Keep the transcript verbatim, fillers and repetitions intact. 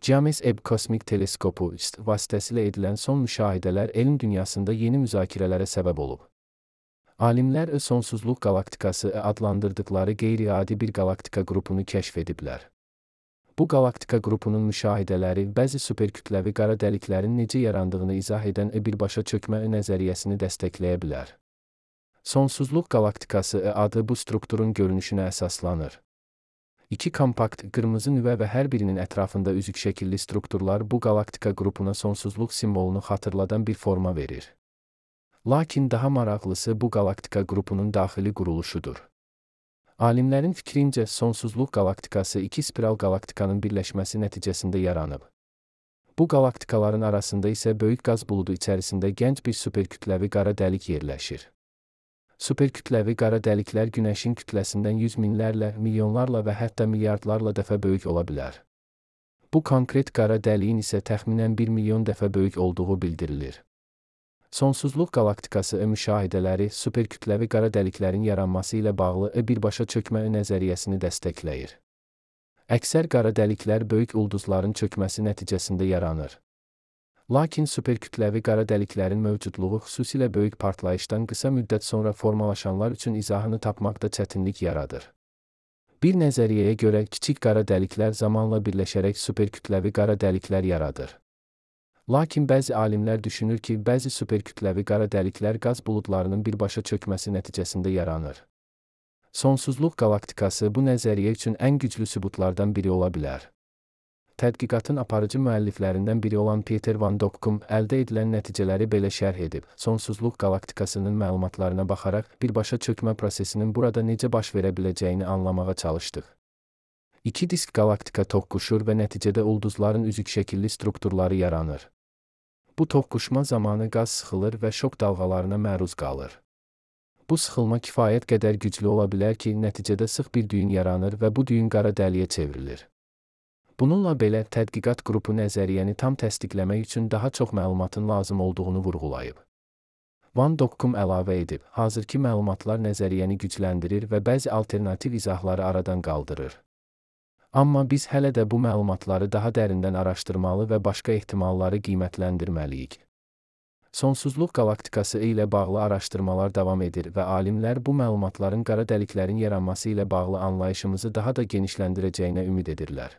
James Webb Kosmik Teleskopu vasitəsilə edilən son müşahidələr elm dünyasında yeni müzakirələrə səbəb olub. Alimlər sonsuzluq qalaktikası adlandırdıqları qeyri-adi bir qalaktika qrupunu kəşf ediblər. Bu qalaktika qrupunun müşahidələri bəzi superkütləvi qara dəliklərin necə yarandığını izah edən birbaşa çökmə nəzəriyyəsini dəstəkləyə bilər. Sonsuzluq qalaktikası adı bu strukturun görünüşünə əsaslanır. İki kompakt, qırmızı nüvə və hər birinin ətrafında üzük şəkilli strukturlar bu qalaktika qrupuna sonsuzluq simvolunu xatırladan bir forma verir. Lakin daha maraqlısı bu qalaktika qrupunun daxili quruluşudur. Alimlərin fikrincə, sonsuzluq qalaktikası iki spiral qalaktikanın birləşməsi nəticəsində yaranıb. Bu qalaktikaların arasında isə böyük qaz buludu içərisində gənc bir superkütləvi qara dəlik yerləşir. Superkütləvi qara dəliklər Günəşin kütləsindən yüz minlərlə, milyonlarla və hətta milyardlarla dəfə böyük ola bilər. Bu konkret qara dəliyin isə təxminən bir milyon dəfə böyük olduğu bildirilir. Sonsuzluq qalaktikası müşahidələri superkütləvi qara dəliklərin yaranması ilə bağlı birbaşa çökmə nəzəriyyəsini dəstəkləyir. Əksər qara dəliklər böyük ulduzların çökməsi nəticəsində yaranır. Lakin superkütləvi qara dəliklərin mövcudluğu xüsusilə böyük partlayışdan qısa müddət sonra formalaşanlar üçün izahını tapmaqda çətinlik yaradır. Bir nəzəriyyəyə görə kiçik qara dəliklər zamanla birləşərək superkütləvi qara dəliklər yaradır. Lakin bəzi alimlər düşünür ki, bəzi superkütləvi qara dəliklər qaz buludlarının birbaşa çökməsi nəticəsində yaranır. Sonsuzluq qalaktikası bu nəzəriyyə üçün ən güclü sübutlardan biri ola bilər. Tədqiqatın aparıcı müəlliflərindən biri olan Peter Van Dokkum əldə edilən nəticələri belə şərh edib. Sonsuzluq qalaktikasının məlumatlarına baxaraq birbaşa çökmə prosesinin burada necə baş verə biləcəyini anlamağa çalışdıq. İki disk qalaktika toqquşur və nəticədə ulduzların üzük şəkilli strukturları yaranır. Bu toqquşma zamanı qaz sıxılır və şok dalğalarına məruz qalır. Bu sıxılma kifayət qədər güclü ola bilər ki, nəticədə sıx bir düyün yaranır və bu düyün qara dəliyə çevrilir. Bununla belə, tədqiqat qrupu nəzəriyyəni tam təsdiqləmək üçün daha çox məlumatın lazım olduğunu vurğulayıb. Van Dokkum əlavə edib, hazırki məlumatlar nəzəriyyəni gücləndirir və bəzi alternativ izahları aradan qaldırır. Amma biz hələ də bu məlumatları daha dərindən araşdırmalı və başqa ehtimalları qiymətləndirməliyik. Sonsuzluq qalaktikası ilə bağlı araşdırmalar davam edir və alimlər bu məlumatların qara dəliklərin yaranması ilə bağlı anlayışımızı daha da genişləndirəcəyinə ümid edirlər.